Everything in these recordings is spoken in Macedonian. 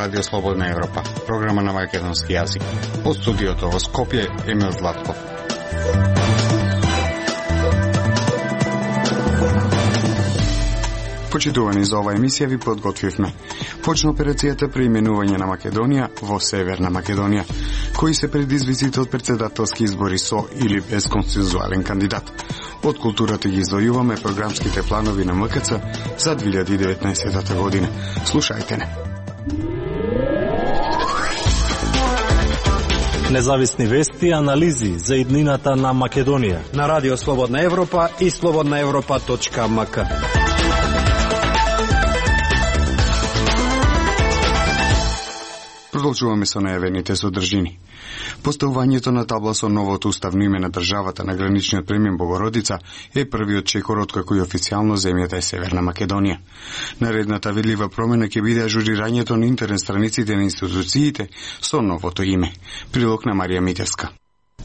Радио Слободна Европа, програма на македонски јазик. Од студиото во Скопје, Емил Златков. Почитувани, за ова емисија ви подготвивме. Почна операцијата преименување на Македонија во Северна Македонија, кои се предизвиците од председателски избори со или без консензуален кандидат. Од културата ги издвојуваме програмските планови на МКЦ за 2019 година. Слушајте не. Независни вести и анализи за иднината на Македонија на Радио Слободна Европа и slobodnaevropa.mk. Продолжуваме со најавените содржини. Поставувањето на табла со новото уставно име на државата на граничниот премин Богородица е првиот чекор откако и официјално земјата е Северна Македонија. Наредната видлива промена ќе биде ажурирањето на интернет страниците на институциите со новото име. Прилог на Марија Митевска.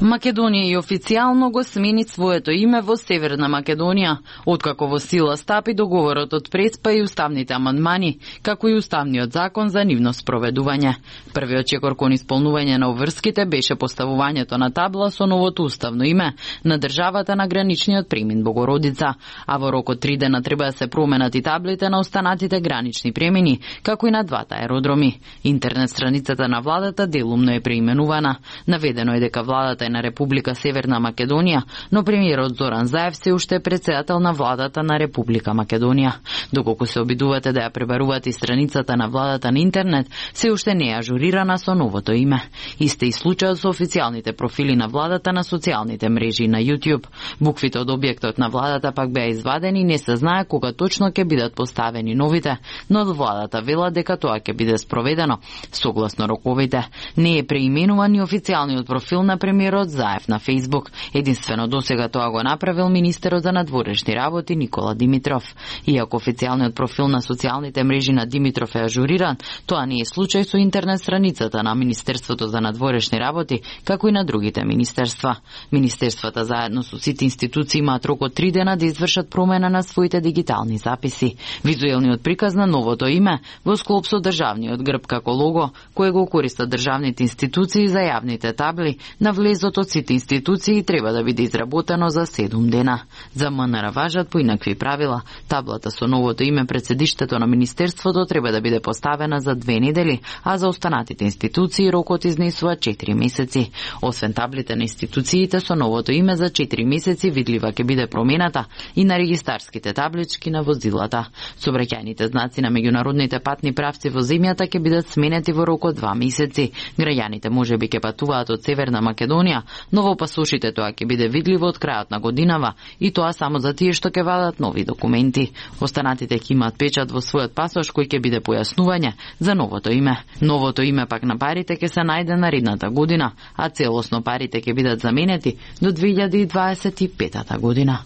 Македонија и официјално го смени своето име во Северна Македонија, откако во сила стапи договорот од Преспа и уставните амандмани, како и уставниот закон за нивно спроведување. Првиот чекор кон исполнување на обврските беше поставувањето на табла со новото уставно име на државата на граничниот премин Богородица, а во рок од 3 дена треба да се променат и таблите на останатите гранични премини, како и на двата аеродроми. Интернет страницата на владата делумно е преименувана. Наведено е дека владата на Република Северна Македонија, но премиерот Зоран Заев се уште е председател на владата на Република Македонија. Доколку се обидувате да ја пребарувате страницата на владата на интернет, се уште не е ажурирана со новото име. Исте и случајот со официјалните профили на владата на социјалните мрежи на YouTube. Буквите од објектот на владата пак беа извадени и не се знае кога точно ќе бидат поставени новите, но од владата вела дека тоа ќе биде спроведено согласно роковите. Не е преименуван и официјалниот профил на премиерот Заев на Facebook. Единствено досега тоа го направил министерот за надворешни работи Никола Димитров. Иако официјалниот профил на социјалните мрежи на Димитров е ажуриран, тоа не е случај со интернет страницата на Министерството за надворешни работи, како и на другите министерства. Министерствата заедно со сите институции имаат рок од 3 дена да извршат промена на своите дигитални записи. Визуелниот приказ на новото име во склоп со државниот грб како лого, кој го користат државните институции за јавните табли на влезот од сите институции треба да биде изработено за 7 дена. За МНР важат поинакви правила. Таблата со новото име пред седиштето на Министерството треба да биде поставена за 2 недели, а за останатите институции рокот изнесува 4 месеци. Освен таблите на институциите со новото име за 4 месеци видлива ќе биде промената и на регистарските таблички на возилата. Сообраќајните знаци на меѓународните патни правци во земјата ќе бидат сменети во рок од 2 месеци. Граѓаните можеби ќе патуваат од Северна Македонија, но во пасошите тоа ќе биде видливо од крајот на годинава и тоа само за тие што ќе вадат нови документи. Останатите ќе имаат печат во својот пасош кој ќе биде појаснување за новото име. Новото име пак на парите ќе се најде наредната година, а целосно парите ќе бидат заменети до 2025 година.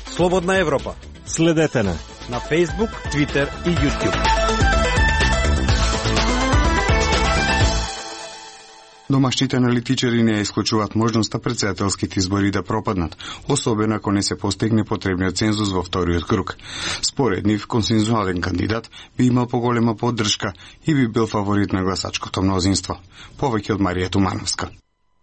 Слободна Европа. Следете на Facebook, Twitter и YouTube. Домашните аналитичари не исклучуваат можноста председателските избори да пропаднат, особено ако не се постигне потребниот цензус во вториот круг. Според нив, консензуален кандидат би имал поголема поддршка и би бил фаворит на гласачкото мнозинство. Повеќе од Марија Тумановска.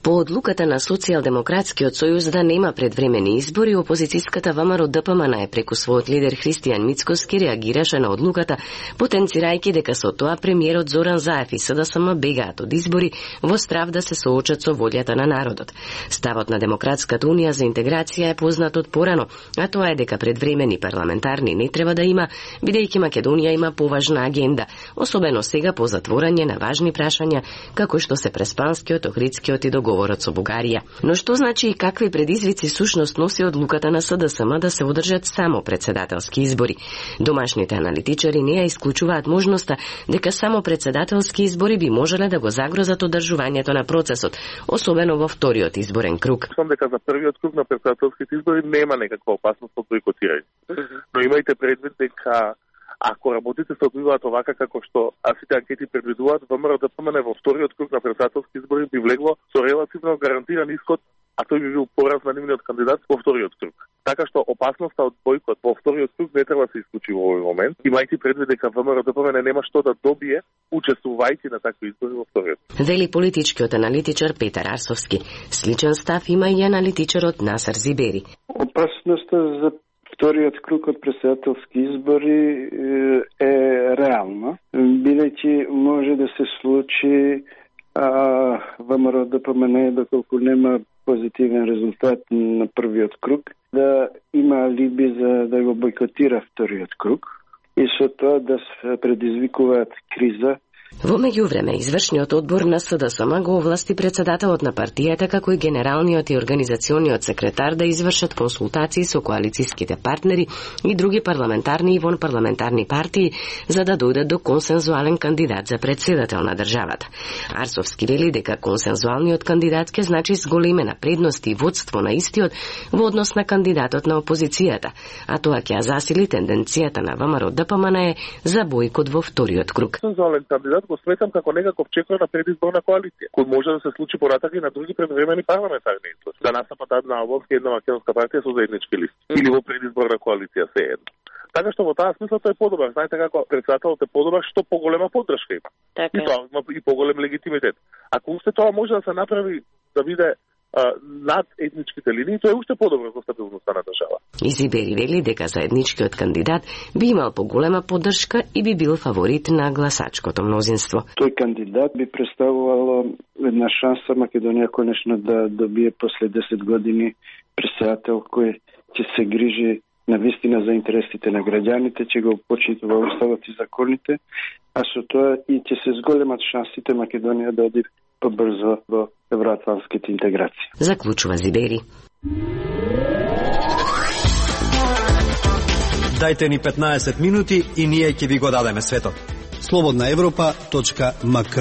По одлуката на Социјалдемократскиот сојуз да нема предвремени избори, опозицијската ВМРО ДПМН преку својот лидер Христијан Мицкоски реагираше на одлуката, потенцирајќи дека со тоа премиерот Зоран Заев и СДСМ бегаат од избори во страв да се соочат со волјата на народот. Ставот на Демократската унија за интеграција е познат од порано, а тоа е дека предвремени парламентарни не треба да има, бидејќи Македонија има поважна агенда, особено сега по затворање на важни прашања, како што се Преспанскиот, Охридскиот и договорот со Бугарија. Но што значи и какви предизвици сушност носи одлуката на СДСМ да се одржат само председателски избори? Домашните аналитичари не ја исклучуваат можноста дека само председателски избори би можеле да го загрозат одржувањето на процесот, особено во вториот изборен круг. Сам дека за првиот круг на председателските избори нема некаква опасност од бойкотирање. Но имајте предвид дека ако работите се одвиваат овака како што сите анкети предвидуваат, ВМРО ДПМН во вториот круг на председателски избори би влегло со релативно гарантиран исход, а тој би бил пораз на нивниот кандидат во вториот круг. Така што опасноста од бојкот во вториот круг не треба да се исклучи во овој момент, имајќи предвид дека ВМРО-ДПМН нема што да добие учествувајќи на такви избори во вториот. Вели политичкиот аналитичар Петар Арсовски. Сличен став има и аналитичарот Насар Зибери. Опасноста за вториот круг од претседателски избори е реална, бидејќи може да се случи ВМРО-ДПМН, доколку нема позитивен резултат на првиот круг, да има алиби за да го бойкотира вториот круг и со тоа да се предизвикуваат криза. Во меѓувреме, извршниот одбор на СДСМ го овласти претседателот на партијата како и генералниот и организациониот секретар да извршат консултации со коалицијските партнери и други парламентарни и вонпарламентарни партии за да дојдат до консензуален кандидат за претседател на државата. Арсовски вели дека консензуалниот кандидат ќе значи зголемена предност и водство на истиот во однос на кандидатот на опозицијата, а тоа ќе засили тенденцијата на ВМРО-ДПМН за бојкот во вториот круг. Консензуален кандидат го сметам како некаков чекор на предизборна коалиција, кој може да се случи понатака и на други предвремени парламентарни избори. Да настапат една албанска и една македонска партија со заеднички листи или во предизборна коалиција се едно. Така што во таа смисла тој е подобар. Знаете како претседателот е подобар што поголема поддршка има. Така. И тоа има и поголем легитимитет. Ако уште тоа може да се направи да биде над етничките линии, тоа е уште подобро за стабилноста на држава. Изибери вели дека заедничкиот кандидат би имал поголема поддршка и би бил фаворит на гласачкото мнозинство. Тој кандидат би представувало една шанса Македонија конечно да добие после 10 години претседател кој ќе се грижи на вистина за интересите на граѓаните, ќе го почитува уставот и законите, а со тоа и ќе се зголемат шансите Македонија да оди побрзо во евроатлантските интеграции. Заклучува Зибери. Дајте ни 15 минути и ние ќе ви го дадеме светот. slobodnaevropa.mk.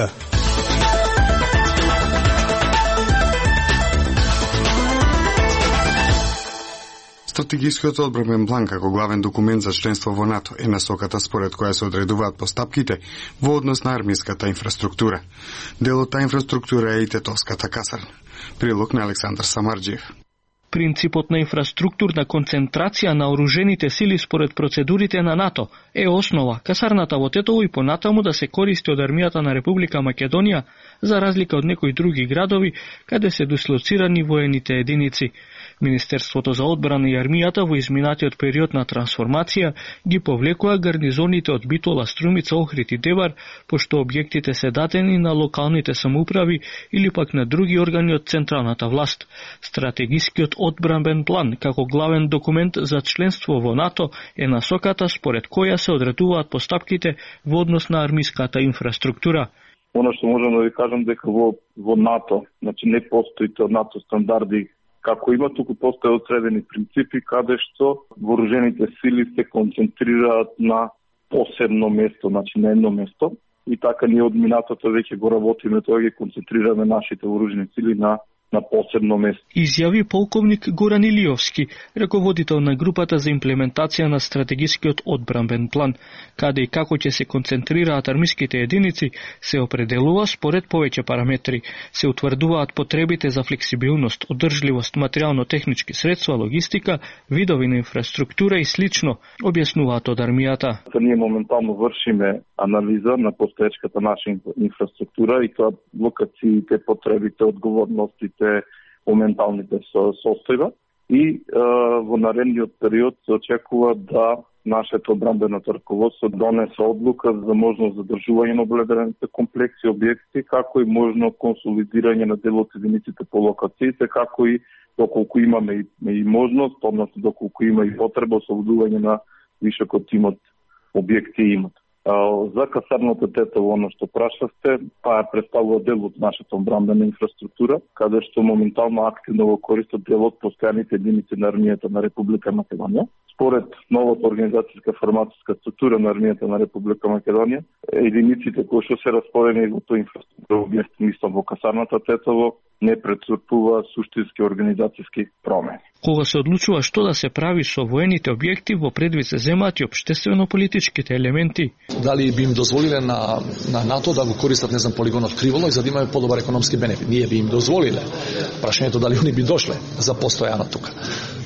Стратегискиот одбранбен план како главен документ за членство во НАТО е насоката според која се одредуваат постапките во однос на армиската инфраструктура. Дел од таа инфраструктура е и Тетовската касарна. Прилог на Александар Самарџиев. Принципот на инфраструктурна концентрација на оружените сили според процедурите на НАТО е основа касарната во Тетово и понатаму да се користи од армијата на Република Македонија, за разлика од некои други градови каде се дислоцирани воените единици. Министерството за одбрана и армијата во изминатиот период на трансформација ги повлекоа гарнизоните од Битола, Струмица, Охрид и Девар, пошто објектите се дадени на локалните самоуправи или пак на други органи од централната власт. Стратегискиот одбранбен план како главен документ за членство во НАТО е насоката според која се одредуваат постапките во однос на армиската инфраструктура. Оно што можам да ви кажам дека во НАТО, значи не постои тоа НАТО стандарди како има, туку постои одредени принципи каде што вооружените сили се концентрираат на посебно место, значи на едно место. И така ние од минатото веќе го работиме, тоа ги концентрираме нашите вооружени сили на посебно место. Изјави полковник Горан Илиовски, раководител на групата за имплементација на стратегискиот одбранбен план, каде и како ќе се концентрираат армиските единици, се определува според повеќе параметри. Се утврдуваат потребите за флексибилност, одржливост, материјално-технички средства, логистика, видови на инфраструктура и слично, објаснуваат од армијата. Ние моментално вршиме анализа на постоечката наша инфраструктура и тоа локациите, потребите, одговорностите, моменталните состојба и во наредниот период се очекува да нашето одбранбено раководство донесе одлука за можност задржување на обледените комплекси објекти, како и можно консолидирање на дел од единиците по локациите, како и доколку имаме и можност, односно доколку има и потреба ослободување на вишок од тимот објекти имат. За касарното Тетово, оно што прашавте, таа представува дел од нашата одбранбена инфраструктура, каде што моментално активно го користат дел од постојаните единици на армијата на Република Македонија. Според новата организацијска форматска структура на армијата на Република Македонија, единиците кои што се распоределени во тој инфраструктура објект, мислам во касарната Тетово, не претцрпува суштински организацијски промени. Кога се одлучува што да се прави со воените објекти, во предвид се земаат и општествено-политичките елементи. Дали би им дозволиле на НАТО да го користат, не знам, полигонот Криволо и за да имаме подобар економски бенефит? Ние би им дозволиле. Прашањето дали они би дошле за постојано тука.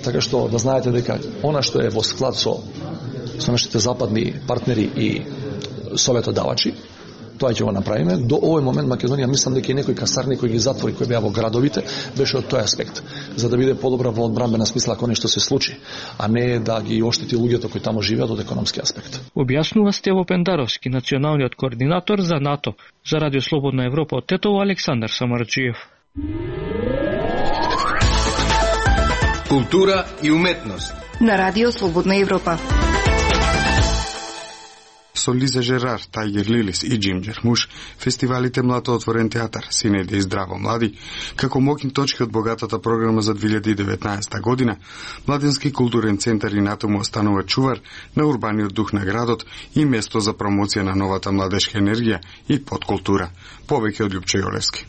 Така што да знаете дека она што е во склад со нашите западни партнери и советодавачи, тоа ќе го направиме. До овој момент Македонија мислам дека и некои касарни кои ги затвори, кои беа во градовите, беше од тој аспект, за да биде подобра во одбранбена смисла ако нешто се случи, а не да ги оштети луѓето кои таму живеат од економски аспект. Објаснува Стево Пендаровски, националниот координатор за НАТО. За Радио Слободна Европа од Тетово, Александар Самарджиев. Култура и уметност на Радио Слободна Европа. Со Лиза Жерар, Тајгер Лилис и Джим Джермуш, фестивалите Млато отворен театар, Синеде и здраво млади, како моќни точки од богатата програма за 2019 година, Младински културен центар и НАТО му останува чувар на урбаниот дух на градот и место за промоција на новата младешка енергија и подкултура. Повеќе од Љупче Јолевски.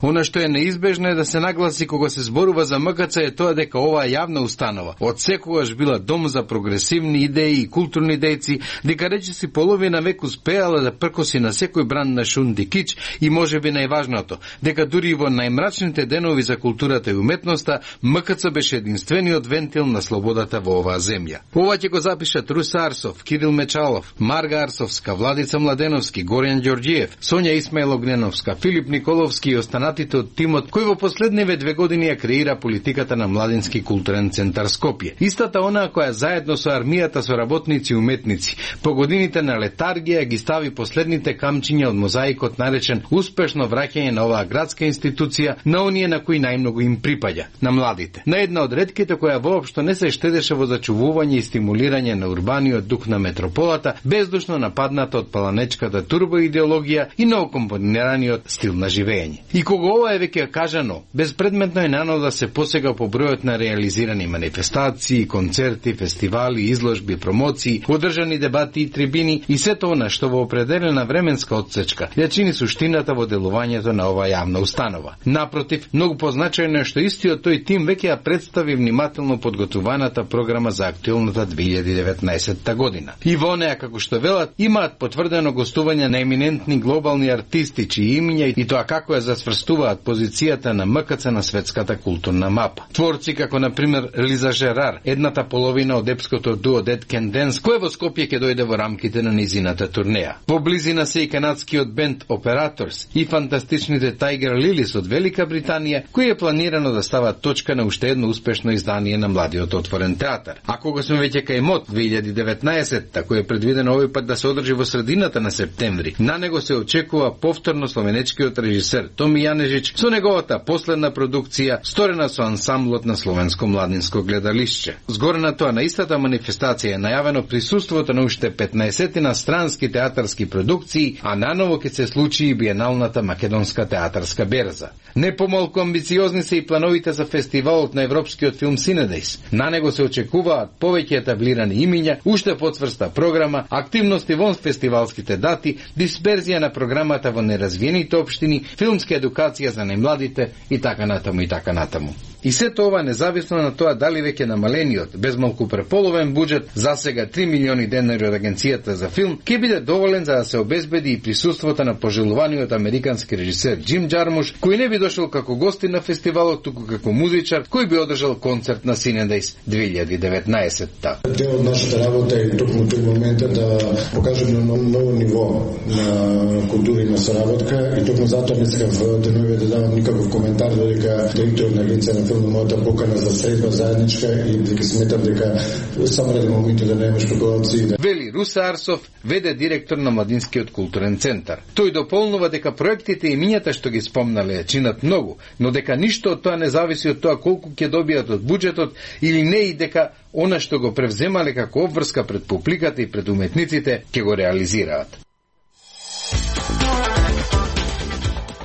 Она што е неизбежно е да се нагласи кога се зборува за МКЦ е тоа дека оваа јавна установа од секогаш била дом за прогресивни идеи и културни дејци, дека речиси половина век успеала да пркоси на секој бран на шунди кич и можеби најважното, дека дури и во најмрачните денови за културата и уметноста, МКЦ беше единствениот вентил на слободата во оваа земја. Ова ќе го запишат Руса Арсов, Кирил Мечалов, Марга Арсовска, Владица Младеновски, Горјан Ѓорѓиев, Сонја Исмаилогненовска, Филип Николовски и останатите од тимот кој во последниве 2 години ја креира политиката на Младински културен центар Скопје. Истата онаа која заедно со армијата со работници и уметници по годините на летаргија ги стави последните камчиња од мозаикот наречен успешно враќање на оваа градска институција на оние на кои најмногу им припаѓа, на младите. На една од ретките која воопшто не се штедеше во зачувување и стимулирање на урбаниот дух на метрополата, бездушно нападната од паланечката турбоидеологија и новокомпонираниот стил на живење. И кога ова е веќе кажано, безпредметно е нано да се посега по бројот на реализирани манифестации, концерти, фестивали, изложби, промоции, одржани дебати и трибини и сето она што во определена временска отсечка ја чини суштината во делувањето на оваа јавна установа. Напротив, многу позначајно е што истиот тој тим веќе ја представи внимателно подготуваната програма за актуелната 2019 година. И во неа, како што велат, имаат потврдено гостување на еминентни глобални артисти чии имиња и тоа како ја засврстуваат позицијата на МКЦ на светската културна мапа. Творци како на пример Лиза Жерар, едната половина од епското дуо Dead Can Dance, кој во Скопје ќе дојде во рамките на низината турнеја. Во близина се и канадскиот бенд Operators и фантастичните Тајгер Лилис од Велика Британија, кој е планирано да става точка на уште едно успешно издание на младиот отворен театар. А кога сме веќе кај МОТ 2019, кој е предвидено овој пат да се одржи во средината на септември, на него се очекува повторно словенечкиот режисер Томи Јанежич со неговата последна продукција, сторена со ансамблот на Словенско младинско гледалишче. Згоре на тоа, на истата манифестација е најавено присуството на уште 15 на странски театарски продукции, а наново ќе се случи и биеналната македонска театарска берза. Не помалку амбициозни се и плановите за фестивалот на европскиот филм Синедејс. На него се очекуваат повеќе етаблирани имиња, уште поцврста програма, активности вон фестивалските дати, дисперзија на програмата во неразвиените општини, филмска едукација за најмладите и така натаму и така натаму. И сето ова независно на тоа дали веќе намалениот, безмалку преполовен буџет, засега 3 милиони денари од Агенцијата за филм, ќе биде доволен за да се обезбеди и присуството на пожелуваниот американски режисер Джим Джармуш, кој не би дошол како гостин на фестивалот, туку како музичар, кој би одржал концерт на Синедејс 2019-та. Дел од нашата работа е токму тој моментот да покажеме на ново ниво на култура и на соработка и токму затоа не сакам во деновите да давам никаков коментар додека директор на Агенција на филм мојата покана за средба заедничка и дека сметам дека само ради моментот да немаш спекулации. Вели Руса Арсов, веде директор на Младинскиот културен центар. Тој дополнува дека проектите и имињата што ги спомнале чинат многу, но дека ништо од тоа не зависи од тоа колку ќе добијат од буџетот или не и дека она што го превземале како обврска пред публиката и пред уметниците ќе го реализираат.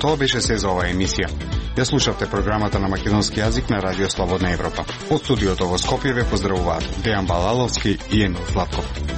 Тоа беше се за оваа емисија. Ја слушавте програмата на македонски јазик на Радио Слободна Европа. Од студиото во Скопје ве поздравуваат Дејан Балаловски и Емил Златков.